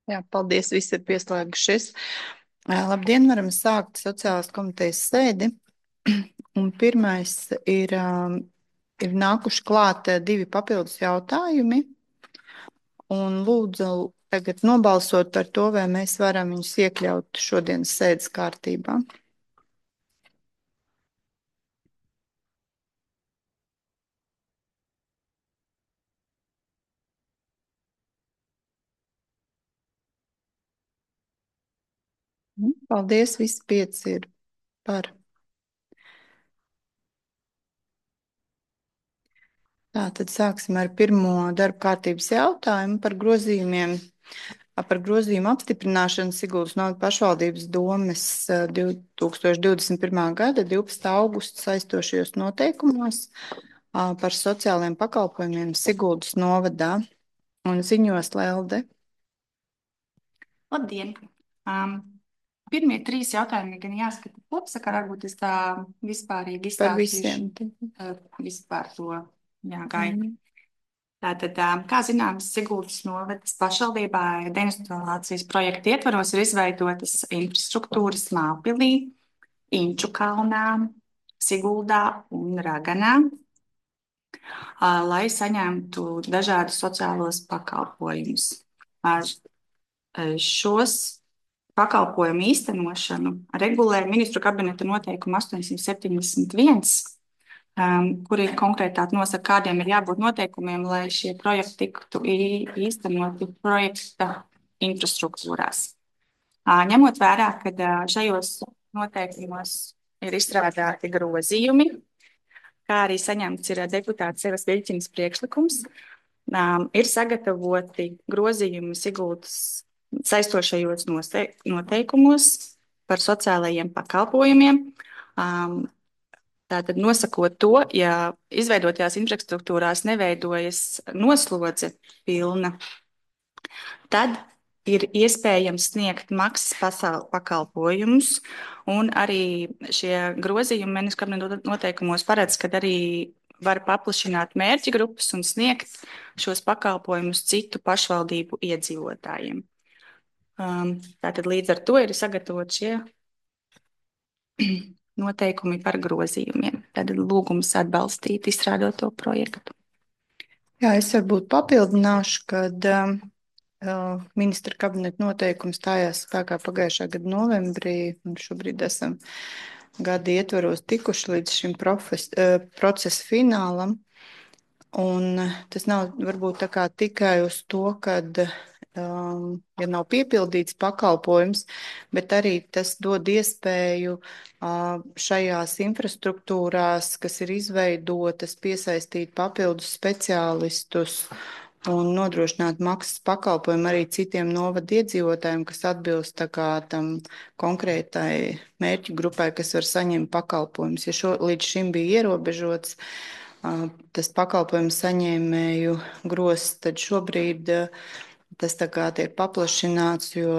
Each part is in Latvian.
Jā, paldies, visi ir pieslēgušies. Labdien, varam sākt sociālās komitejas sēdi. Un pirmais ir nākuši klāt divi papildus jautājumi. Un lūdzu tagad nobalsot par to, vai mēs varam viņus iekļaut šodienas sēdes kārtībā. Paldies, visi pieci ir par. Tātad sāksim ar pirmo darba kārtības jautājumu par grozījumiem. Par grozījumu apstiprināšanu Siguldas novada pašvaldības domes 2021. gada 12. augusta saistošajos noteikumos par sociālajiem pakalpojumiem Siguldas novadā un ziņos Lelde. Labdien! Pirmie trīs jautājumi gan jāskata kopsakarā, varbūt es tā vispārīgi Par izstāstīšu visiem. vispār to gaitu. Tātad, kā zināms, Siguldas novadas pašvaldībā deindustrializācijas projekta ietvaros ir izveidotas infrastruktūras Mālpilī, Inčukalnā, Siguldā un Raganā, lai saņemtu dažādus sociālos pakalpojumus. Šos pakalpojumu īstenošanu regulē ministru kabineta noteikuma 871, kur ir konkrētāk nosaka, kādiem ir jābūt noteikumiem, lai šie projekti tiktu īstenoti projekta infrastruktūrās. Ņemot vērā, ka šajos noteikumos ir izstrādāti grozījumi, kā arī saņemts ir deputāts Evas Viļķinas priekšlikums, ir sagatavoti grozījumi Siguldas saistošajos noteikumos par sociālajiem pakalpojumiem. Tātad nosakot to, ja izveidotajās infrastruktūrās neveidojas noslodze pilna, tad ir iespējams sniegt maksas pakalpojumus, un arī šie grozījumi ministru kabineta noteikumos paredz, ka arī var paplašināt mērķa grupas un sniegt šos pakalpojumus citu pašvaldību iedzīvotājiem. Tātad līdz ar to ir sagatavot šie noteikumi par grozījumiem. Tad lūgums atbalstīt izstrādāto projektu. Jā, es varbūt papildināšu, kad ministra kabineta noteikums stājās spēkā pagājušā gada novembrī, un šobrīd esam gada ietvaros tikuši līdz šim procesa finālam. Un tas nav varbūt tā kā tikai uz to, kad ja nav piepildīts pakalpojums, bet arī tas dod iespēju šajās infrastruktūrās, kas ir izveidotas, piesaistīt papildus speciālistus un nodrošināt maksas pakalpojumu arī citiem novada iedzīvotājiem, kas atbilst tā kā tam konkrētai mērķu grupai, kas var saņemt pakalpojumus. Ja līdz šim bija ierobežots tas pakalpojumu saņēmēju grozs, tad šobrīd tas tā kā tiek paplašināts, jo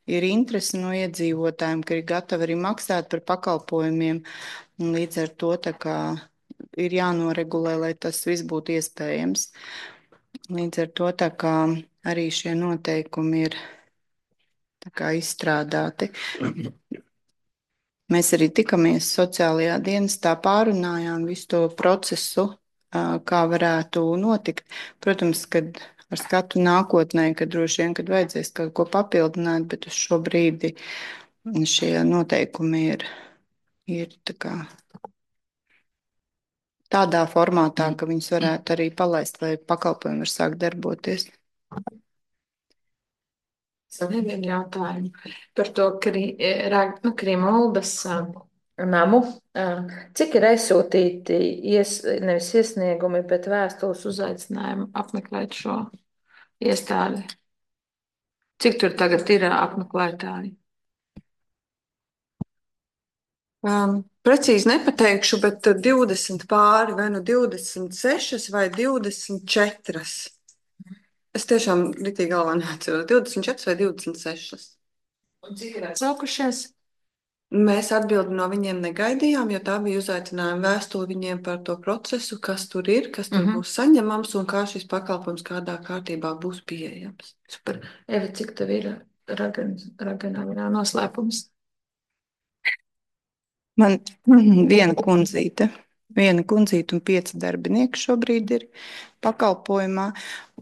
ir interese no iedzīvotājiem, ka ir gatavi arī maksāt par pakalpojumiem. Līdz ar to tā kā ir jānoregulē, lai tas viss būtu iespējams. Līdz ar to tā kā arī šie noteikumi ir tā kā izstrādāti. Mēs arī tikamies sociālajā dienestā, pārunājām visu to procesu, kā varētu notikt. Protams, kad ar skatu nākotnē, kad droši vien, kad vajadzēs kaut ko papildināt, bet uz šo brīdi šie noteikumi ir tādā formātā, ka viņus varētu arī palaist, lai pakalpojumi var sākt darboties. Vienu jautājumu par to Krimuldas namu. Cik ir aizsūtīti nevis iesniegumi, bet vēstules uzaicinājumi apmeklēt šo iestādi? Cik tur tagad ir apmeklētāji? Precīzi nepateikšu, bet 20 pāri, vai nu 26 vai 24. Es tiešām ritīgi galvā neatceros. 24 vai 26. Un cik ir atsaukušies? Mēs atbildi no viņiem negaidījām, jo tā bija uzaicinājuma vēstule viņiem par to procesu, kas tur ir, kas tur būs saņemams un kā šis pakalpojums kādā kārtībā būs pieejams. Super. Eva, cik tev ir raganā noslēpums? Man viena kundzīte un 5 darbinieki šobrīd ir pakalpojumā.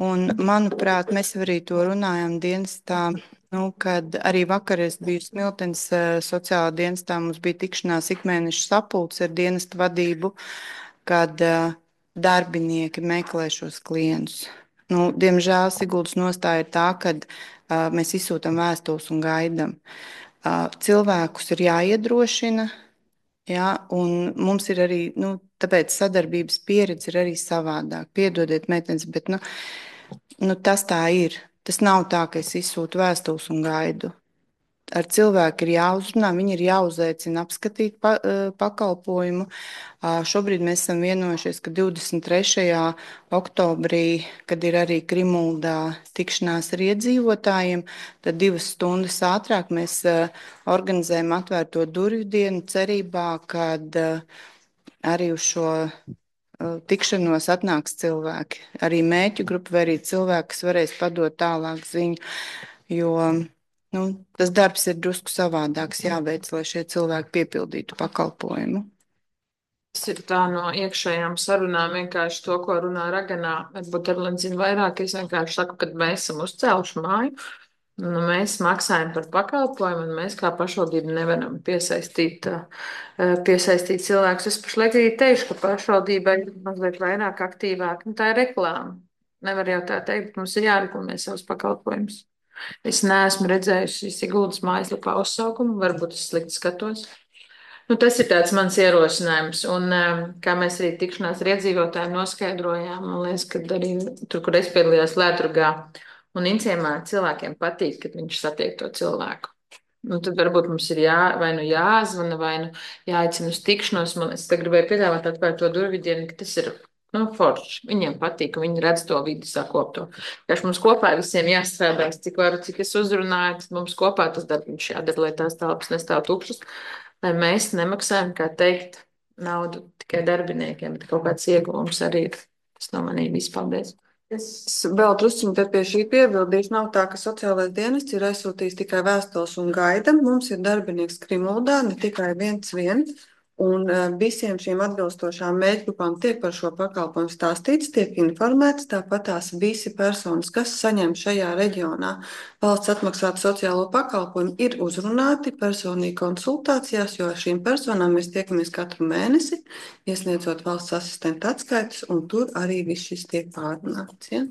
Un, manuprāt, mēs arī to runājam dienestā, kad arī vakar es biju Smiltenes sociālā dienestā, mums bija tikšanās ikmēneša sapulce ar dienestu vadību, kad darbinieki meklē šos klientus. Diemžēl Siguldas nostāja ir tā, ka mēs izsūtam vēstules un gaidām. Cilvēkus ir jāiedrošina. Jā, un mums ir arī, tāpēc sadarbības pieredze ir arī savādāk. Piedodiet, meitenes, bet tas tā ir. Tas nav tā, ka es izsūtu vēstules un gaidu. Ar cilvēku ir jāuzrunā, viņi ir jāuzaicina apskatīt pakalpojumu. Šobrīd mēs esam vienojušies, ka 23. oktobrī, kad ir arī Krimuldā tikšanās ar iedzīvotājiem, tad 2 stundas ātrāk mēs organizējam atvērto durvju dienu cerībā, kad arī uz šo tikšanos atnāks cilvēki. Arī mēķu grupa vai arī cilvēki, kas varēs padot tālāk ziņu, jo tas darbs ir drusku savādāks jāveic, lai šie cilvēki piepildītu pakalpojumu. Tas ir tā no iekšējām sarunām, vienkārši to, ko runā Raganā. Varbūt Erlīna zina vairāk, es vienkārši saku, kad mēs esam uzcēluši māju, mēs maksājam par pakalpojumu, un mēs kā pašvaldība nevaram piesaistīt cilvēkus. Es pašlaik arī teikšu, ka pašvaldībai ir mazliet vairāk aktīvāk. Tā ir reklāma. Nevar jau tā teikt, bet mums ir jāreklamē savus pakalpojumus. Es neesmu redzējusi Siguldas mājaslapā uzsaukumu, varbūt es slikti skatos. Tas ir tāds mans ierosinājums, un kā mēs arī tikšanās ar iedzīvotājiem noskaidrojām, man liekas, ka arī tur, kur es piedalījos Lētrugā un Inciemā, cilvēkiem patīk, kad viņš satiek to cilvēku. Tad varbūt mums ir vai nu jāzvana, vai nu jāaicina uz tikšanos. Es te gribēju piedāvāt atvērt to durvju dienu, ka tas ir forši. Viņiem patīk, un viņi redz to vidi sakopto. Tieši mums kopā visiem jāstrādās, cik varu, cik es uzrunāju, tad mums kopā tas darbs jādara, lai tās telpas nestāv tukšas. Lai mēs nemaksājam, kā teikt, naudu tikai darbiniekiem, bet kaut kāds ieguvums arī ir. Tas no manī viss. Paldies. Es vēl druskuļi pie šī piebildīšu. Nav tā, ka sociālais dienests ir aizsūtījis tikai vēstules un gaida. Mums ir darbinieks Krimuldā, ne tikai viens. Un visiem šīm atbilstošām mērķgrupām tiek par šo pakalpojumu stāstīts, tiek informēts. Tāpat tās visi personas, kas saņem šajā reģionā valsts atmaksātu sociālo pakalpojumu, ir uzrunāti personīgi konsultācijās, jo ar šīm personām mēs tiekamies katru mēnesi, iesniedzot valsts asistenta atskaites, un tur arī viss šis tiek pārunāts. Ja?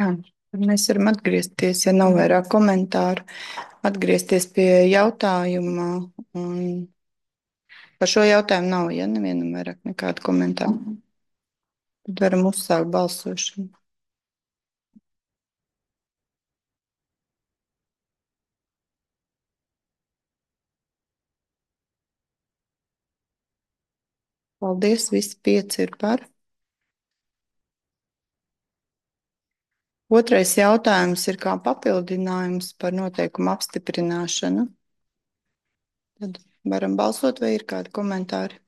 Jā. Mēs varam atgriezties, ja nav vairāk komentāru, atgriezties pie jautājuma. Par šo jautājumu nav, ja nevienam vairāk nekādu komentāru. Tad varam uzsākt balsošanu. Paldies, visi 5 ir par. Otrais jautājums ir kā papildinājums par noteikumu apstiprināšanu. Tad varam balsot, vai ir kādi komentāri?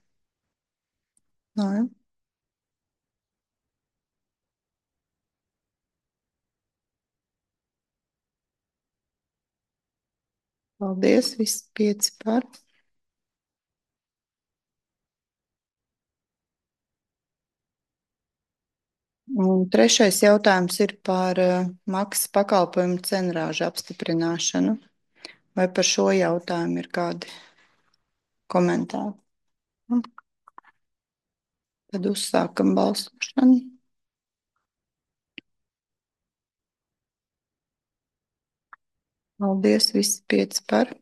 Nē. Paldies, visi 5 par. Un trešais jautājums ir par maksas pakalpojumu cenrāžu apstiprināšanu. Vai par šo jautājumu ir kādi komentāri? Tad uzsākam balsošanu. Paldies, visi 5 par.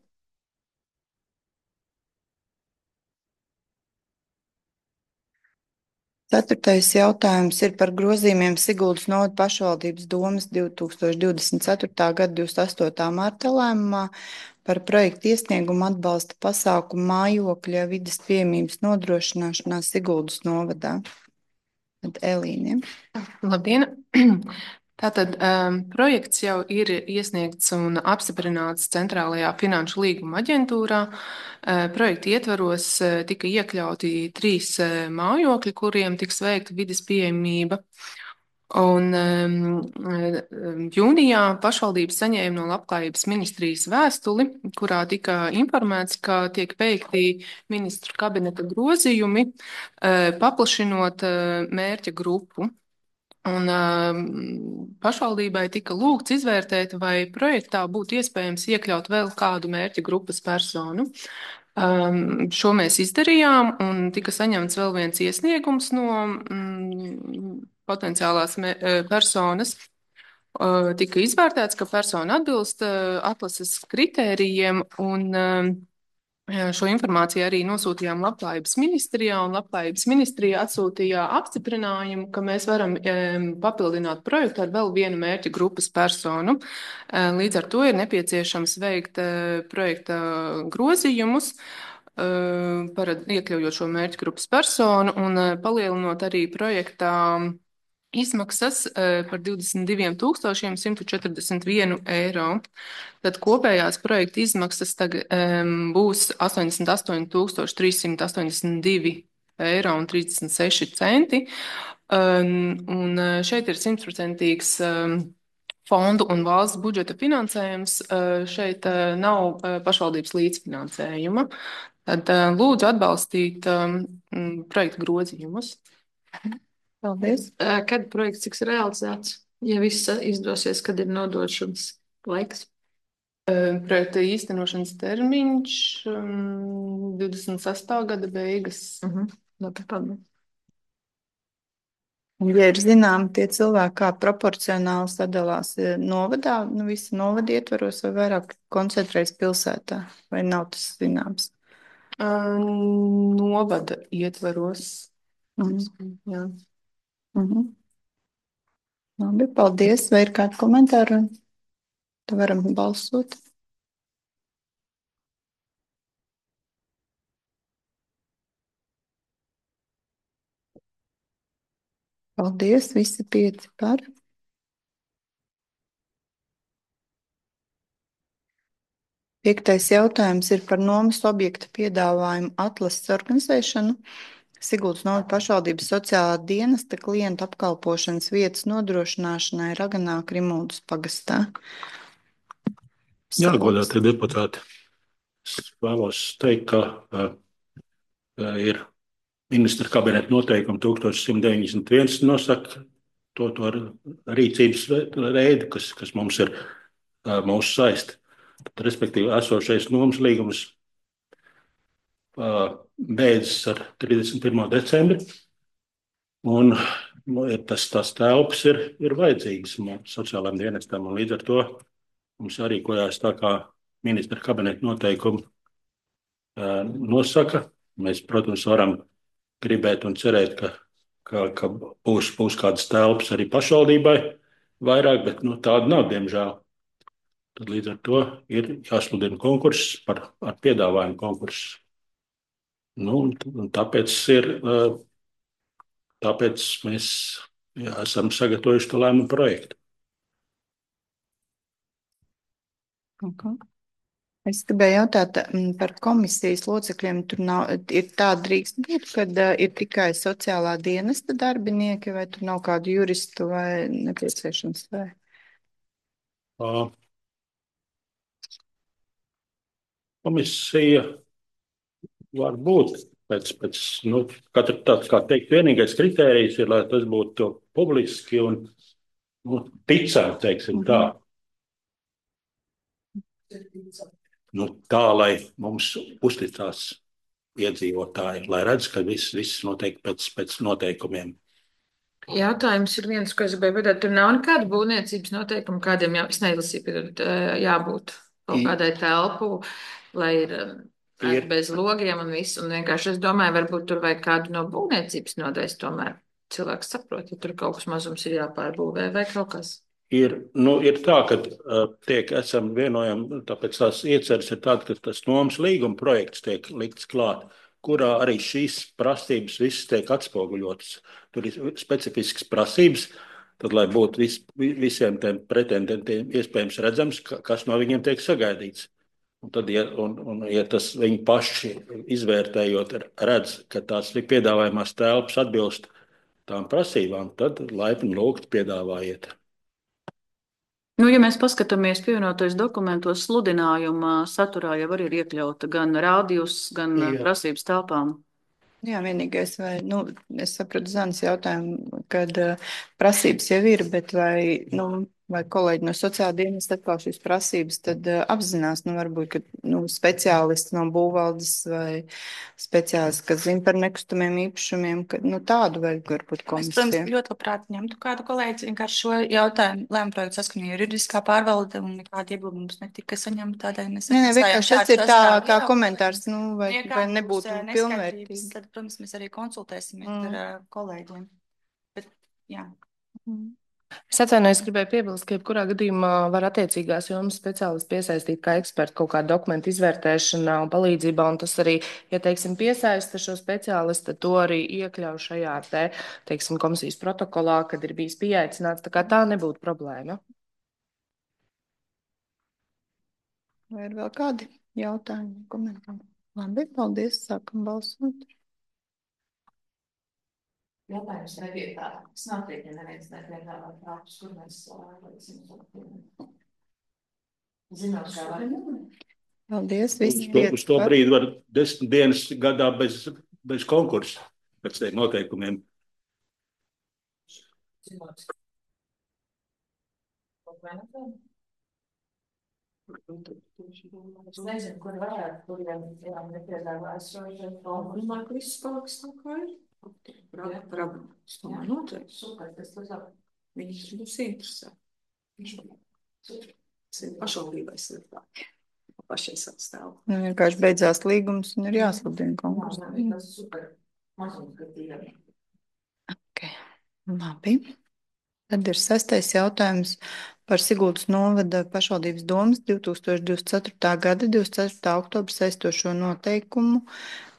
Ceturtais jautājums ir par grozījumiem Siguldas novada pašvaldības domes 2024. gada 28. marta lēmumā par projektu iesniegumu atbalsta pasākumu mājokļa vides pieejamības nodrošināšanā Siguldas novadā. Tad Elīne. Labdien! Tātad projekts jau ir iesniegts un apstiprināts Centrālajā finanšu līguma aģentūrā. Projekta ietvaros tika iekļauti 3 mājokļi, kuriem tiks veikta vides pieejamība. Un jūnijā pašvaldības saņēma no Labklājības ministrijas vēstuli, kurā tika informēts, ka tiek veikti ministru kabineta grozījumi, paplašinot mērķa grupu. Un pašvaldībai tika lūgts izvērtēt, vai projektā būtu iespējams iekļaut vēl kādu mērķa grupas personu. Šo mēs izdarījām, un tika saņemts vēl viens iesniegums no potenciālās personas. Tika izvērtēts, ka persona atbilst atlases kritērijiem, un šo informāciju arī nosūtījām Labklājības ministrijā, un Labklājības ministrija atsūtīja apstiprinājumu, ka mēs varam papildināt projektu ar vēl vienu mērķa grupas personu. Līdz ar to ir nepieciešams veikt projekta grozījumus, iekļaujot šo mērķa grupas personu un palielinot arī projektā izmaksas par 22,141 eiro. Tad kopējās projekta izmaksas būs 88,382 eiro un 36 centi. Un šeit ir 100% fondu un valsts budžeta finansējums. Šeit nav pašvaldības līdzfinansējuma. Tad lūdzu atbalstīt projekta grozījumus. Paldies. Kad projekts tiks realizēts? Ja viss izdosies, kad ir nodošanas laiks? Projekta īstenošanas termiņš 26. gada beigas. Labi, paldies. Un, ja ir zināmi tie cilvēki, kā proporcionāli sadalās novadā, visi novada ietvaros vai vairāk koncentrējas pilsētā, vai nav tas zināms? Novada ietvaros. Jā. Labi, paldies. Vai ir kādi komentāri? Tad varam balsot. Paldies, visi 5 par. Piektais jautājums ir par nomas objekta piedāvājumu atlases organizēšanu. Siguldas novada pašvaldības sociālā dienesta klientu apkalpošanas vietas nodrošināšanai Raganā Krimuldas pagastā. Jā, godātie deputāti, es vēlos teikt, ka ir ministra kabineta noteikumi 1191 nosaka to rīcības veidu, kas mums ir mūsu saista. Respektīvi, esošais nomas līgums beidzas ar 31. decembri, un tās telpas ir vajadzīgas sociālajiem dienestam, un līdz ar to mums jārīkojās tā, kā ministra kabineta noteikumi nosaka. Mēs, protams, varam gribēt un cerēt, ka būs kādas telpas arī pašvaldībai vairāk, bet tāda nav, diemžēl. Tad līdz ar to ir jāsludina konkurss ar piedāvājumu konkursu. Tāpēc mēs esam sagatavojuši to lēmumu projektu. Es gribēju jautāt par komisijas locekļiem. Tur ir tāda drīkst būt, kad ir tikai sociālā dienesta darbinieki, vai tur nav kādu juristu vai nepieciešams? Komisija var būt pēc katra tāds, kā teikt, vienīgais kritērijs ir, lai tas būtu publiski un ticami, teiksim tā. Tā, lai mums uzticās iedzīvotāji, lai redz, ka viss notiek pēc noteikumiem. Jautājums ir viens, ko es gribēju pateikt. Tur nav nekāda būvniecības noteikuma, kādiem jābūt kaut kādai telpu, lai ir bez logiem un viss. Un vienkārši es domāju, varbūt tur vajag kādu no būvniecības nodaļas tomēr. Cilvēks saprot, ja tur kaut kas mazums ir jāpārbūvē vai kaut kas. Ir tā, ka esam vienojami, tāpēc tās ieceres ir tāda, ka tas nomas līguma projekts tiek likts klāt, kurā arī šīs prasības visas tiek atspoguļotas. Tur ir specifiskas prasības, tad lai būtu visiem tiem pretendentiem iespējams redzams, kas no viņiem tiek sagaidīts. Un tad, ja tas viņi paši izvērtējot, redz, ka tās piedāvājumās telpas atbilst tām prasībām, tad laipni lūgt piedāvājiet. Nu, ja mēs paskatāmies pievienotais dokumentos, sludinājuma saturā jau arī ir iekļauta gan rādījus, gan prasības telpām. Jā, vienīgais, vai, es sapratu Zanas jautājumu, kad prasības jau ir, bet vai kolēģi no sociāla dienesta atkal šīs prasības tad apzinās, varbūt, ka speciālisti no būvvaldes vai speciālisti, kas zina par nekustamiem īpašumiem, ka tādu vajag varbūt Es, komisiju. protams, ļoti labprāt ņemtu kādu kolēģi vienkārši šo jautājumu lēmumu projektu saskaņā juridiskā pārvalde un nekāda iebilduma mums netika saņemta tādēļ. Nē, vienkārši tas ir tā kā komentārs, vai nebūtu pilnvērtīgi. Tad, protams, mēs arī konsultēsimies ar kolēģiem. Bet, jā. Es atvainojos, gribēju piebilst, ka jebkurā gadījumā var attiecīgās jomas speciālisti piesaistīt kā eksperti kaut kādu dokumentu izvērtēšanā un palīdzībā, un tas arī, ja, teiksim, piesaista šo speciālistu, tad to arī iekļauj šajā teiksim, komisijas protokolā, kad ir bijis pieaicināts, tā kā tā nebūtu problēma. Vai ir vēl kādi jautājumi, komentāri? Labi, paldies, sākam balsot. Jautājums nevietā. Es noteikti neviens nepiedāvā prātus, kur mēs zinām, kā var. Paldies, visi. Uz to brīdi var 10 dienas gadā bez konkursa, pēc tiem noteikumiem. Es nezinu, kur varētu, kuriem nepiedāvājas šo domāju, ka viss paliks tā kā ir. Es domāju, noteikti. Super, tas labāk. Viņus būs interesē. Tas ir pašvaldībai sliktāk. Pašai savu stāvu. Vienkārši beidzās līgums un ir jāsludina konkurss. Tas super. Mazumskatīgāk. Ok, labi. Tad ir 6. jautājums par Siguldas novada pašvaldības domas 2024. gada 24. oktobra saistošo noteikumu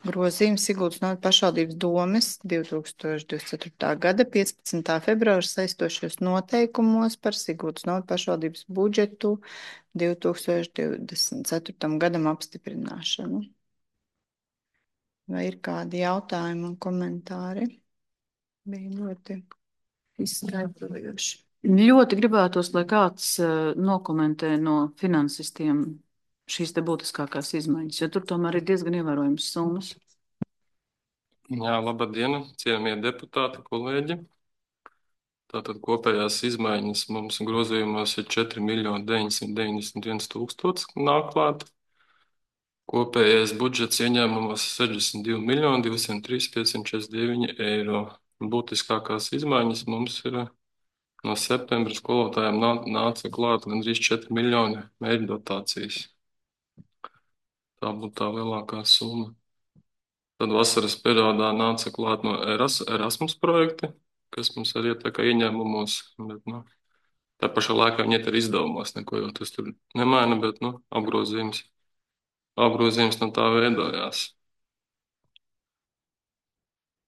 grozījumu Siguldas novada pašvaldības domas 2024. gada 15. februāra saistošos noteikumos par Siguldas novada pašvaldības budžetu 2024. gadam apstiprināšanu. Vai ir kādi jautājumi un komentāri? Bija ļoti izskaidrojoši. Ļoti gribētos, lai kāds nokomentē no finansistiem šīs te būtiskākās izmaiņas, jo tur tomēr ir diezgan ievērojams summas. Jā, labadiena, cienījamie deputāti, kolēģi. Tātad kopējās izmaiņas mums grozījumos ir 4 991 000 nāk klāt. Kopējais budžets ieņēmumos 62 203 549 eiro. Būtiskākās izmaiņas mums ir no septembra skolotājiem nāca klāt gandrīz 4 miljoni mērķu dotācijas. Tā būtu tā lielākā summa. Tad vasaras periodā nāca klāt no Erasmus projekti, kas mums arī iet tā kā ieņēmumos, bet, tā pašā laikā viņi iet ar izdevumos, neko jau tas tur nemaina, bet, apgrozījums no tā veidojās.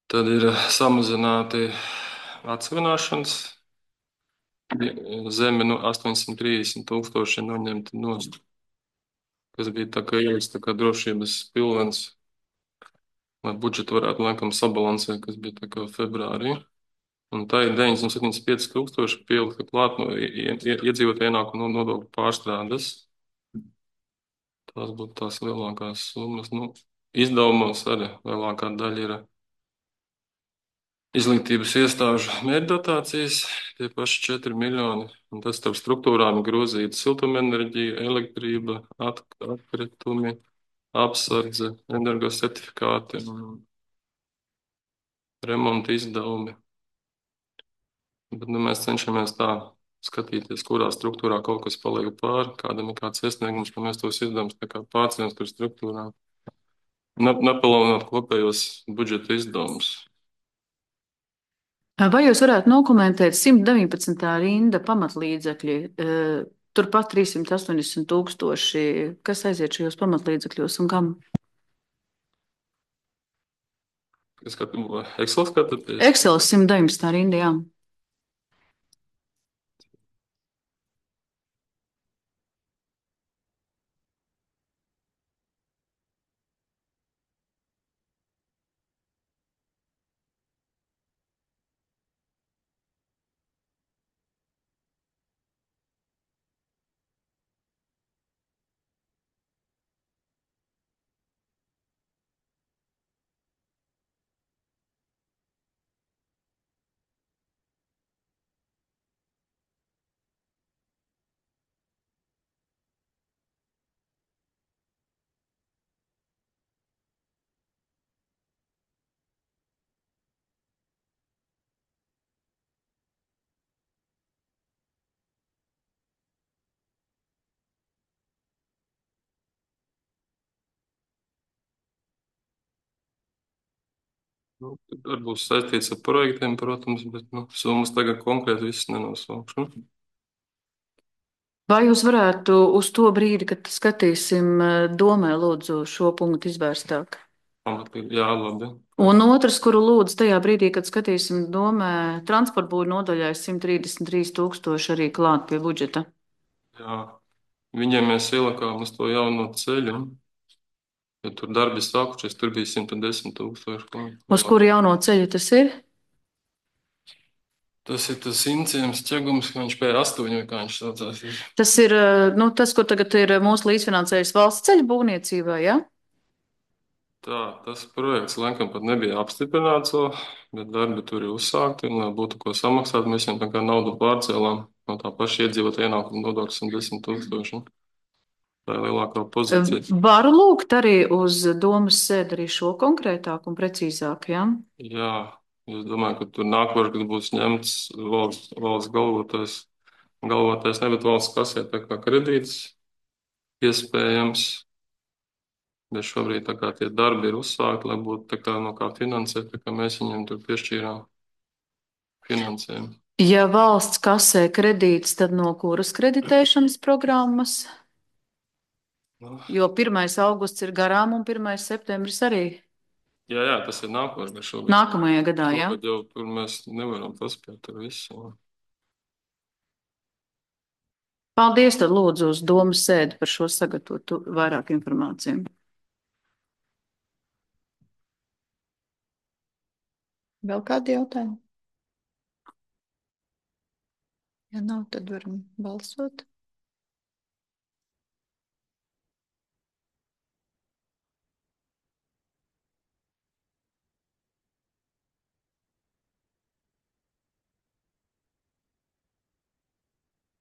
Tad ir samazināti atsevināšanas zemi 830 000 noņemti nost, kas bija tā kā ielikts tā kā drošības pilvens, lai budžetu varētu laikam sabalansēt, kas bija tā kā februārī. Un tā ir 975 000 pielikta klāt no iedzīvotāju ienākumu nodokļu pārstrādes. Tās būtu tās lielākās summas. Izdevumos arī lielākā daļa ir izglītības iestāžu mērķdotācijas, tie paši 4 miljoni. Un tas starp struktūrām grozīta siltumenerģija, elektrība, atkritumi, apsardze, energosertifikāti, remonta izdevumi. Bet mēs cenšamies tā skatīties, kurā struktūrā kaut kas paliek pāri, kādam ir kāds iesniegums, ka mēs tos izdevumus tā kā pārcēlamies par struktūrām. Nepalielināt kopējos budžeta izdevumus. Vai jūs varētu nokomentēt 119. rinda pamatlīdzekļi, turpat 380 000, kas aiziet šajos pamatlīdzekļos un kam? Excel skatāties? Excel 119. rinda, jā. Nu, tad būs saistīts ar projektiem, protams, bet summas tagad konkrēti visas nenosaukšu. Vai jūs varētu uz to brīdi, kad skatīsim domē, lūdzu, šo punktu izvērstāk? Jā, labi. Un otrs, kuru lūdzu tajā brīdī, kad skatīsim domē, transporta būvniecības nodaļai 133,000 arī klāt pie budžeta. Jā, viņiem mēs ielikām uz to jauno ceļu. Ja tur darbi sākušies, tur bija 110,000. Uz kuru jauno ceļu tas ir? Tas ir tas Inciems ķegums, ka viņš P8, vai kā viņš saucās. Tas ir, tas, kur tagad ir mūsu līdzfinansējums valsts ceļu būvniecībai, ja? Tā, tas projekts laikam pat nebija apstiprināts vēl, bet darbi tur ir uzsākti, un lai būtu ko samaksāt, mēs viņam tā kā naudu pārcēlām no tā paša iedzīvotāja ienākuma nodokļa 110,000. Tā ir lielākā pozīcija. Varu lūgt arī uz domas sēdi arī šo konkrētāk un precīzāk, ja? Jā, es domāju, ka tur nākošais, kad būs ņemts valsts galvotais, ne, bet valsts kasē tā kā kredīts iespējams. Bet šobrīd tā kā tie darbi ir uzsākti, lai būtu tā kā no kā finansēt, tā kā mēs viņiem tur piešķīrām finansējumu. Ja valsts kasē kredīts, tad no kuras kreditēšanas programmas? Jo 1. augusts ir garām un 1. septembris arī. Jā, tas ir nākošais, bet šobrīd. Nākamajā gadā, jā. Šogad jau tur mēs nevaram paspēt ar visu. Paldies, tad lūdzu uz domas sēdi par šo sagatavotu vairāk informāciju. Vēl kādi jautājumi? Ja nav, tad varam balsot.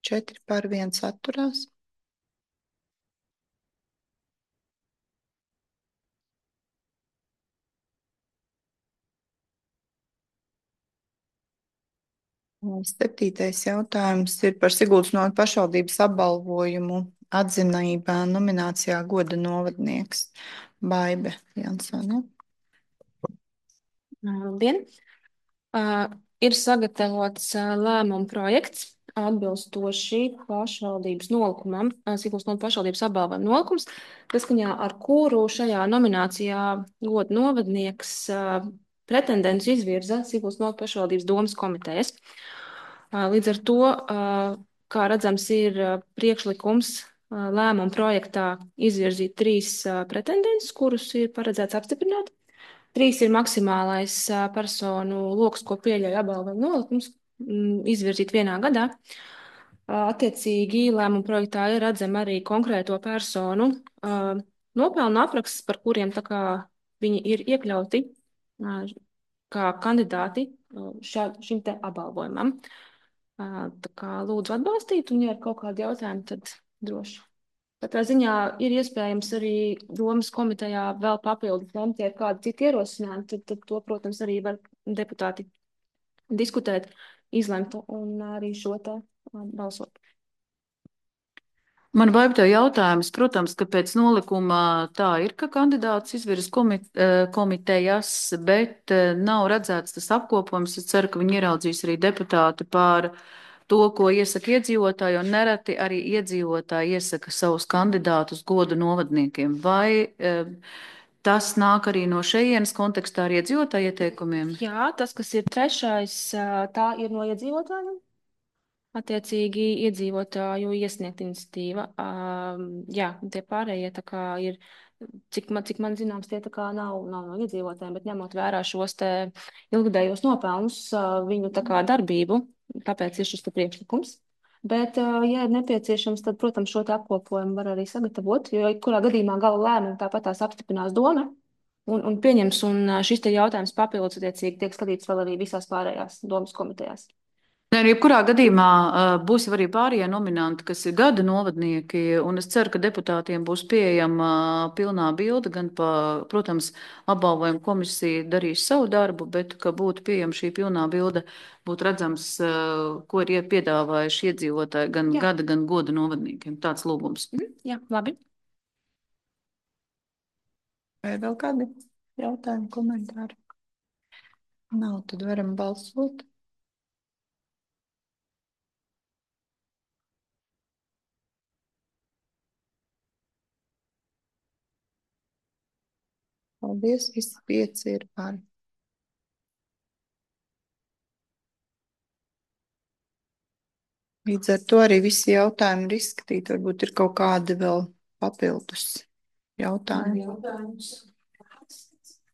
Četri par, viens atturās. Septītais jautājums ir par Siguldas novada pašvaldības apbalvojumu atzinībā nominācijā goda novadnieks Baibe Jansone. Labdien! Ir sagatavots lēmuma projekts atbilstoši pašvaldības nolikumam, Siguldas novada pašvaldības apbalvojuma nolikums, saskaņā ar kuru šajā nominācijā goda novadnieks pretendents izvirza Siguldas novada pašvaldības domas komitejas. Līdz ar to, kā redzams, ir priekšlikums lēmuma projektā izvirzīt 3 pretendentus, kurus ir paredzēts apstiprināt. 3 ir maksimālais personu loks, ko pieļauj apbalvojuma nolikums, izvirzīt vienā gadā. Attiecīgi lēmuma projektā ir redzama arī konkrēto personu nopelnu apraksts, par kuriem tā kā viņi ir iekļauti kā kandidāti šim te apbalvojumam. Tā kā lūdzu atbalstīt, un ja ir kaut kādi jautājumi, tad droši. Katrā ziņā ir iespējams arī domas komitejā vēl papildus lemt, ja ir kādi citi ierosinājumi, tad to, protams, arī var deputāti diskutēt, izlemt un arī šo te balsot. Man vajag tev jautājums, protams, ka pēc nolikuma tā ir, ka kandidāts izvirs komitejas, bet nav redzēts tas apkopojums. Es ceru, ka viņi ieraudzīs arī deputāti par to, ko iesaka iedzīvotāji, un nereti arī iedzīvotāji iesaka savus kandidātus godu novadniekiem. Vai tas nāk arī no šejienes kontekstā ar iedzīvotāju ieteikumiem? Jā, tas, kas ir 3., tā ir no iedzīvotājiem. Attiecīgi iedzīvotāju iesniegt iniciatīva. Jā, tie pārējie tā kā ir, cik man zināms, tie tā kā nav no iedzīvotājiem, bet ņemot vērā šos te ilgadējos nopelnus, viņu tā kā darbību, tāpēc ir šis te priekšlikums. Bet, ja ir nepieciešams, tad, protams, šo te apkopojumu var arī sagatavot, jo kurā gadījumā gala lēmumu tāpat tās apstiprinās doma un pieņems, un šis te jautājums papildus attiecīgi tiek skatīts vēl arī visās pārējās domas komitejās. Nē, jebkurā gadījumā būs jau arī pārējie nominanti, kas ir gada novadnieki, un es ceru, ka deputātiem būs pieejama pilnā bilde, gan, protams, apbalvojuma komisija darīs savu darbu, bet, ka būtu pieejama šī pilnā bilde, būtu redzams, ko ir piedāvājuši iedzīvotāji gan gada, gan goda novadniekiem. Tāds lūgums. Jā, labi. Vai vēl kādi jautājumi, komentāri? Nav, tad varam balsot. Paldies, visi 5 ir par. Līdz ar to arī visi jautājumi ir izskatīti. Varbūt ir kaut kādi vēl papildus jautājumi. Jautājums.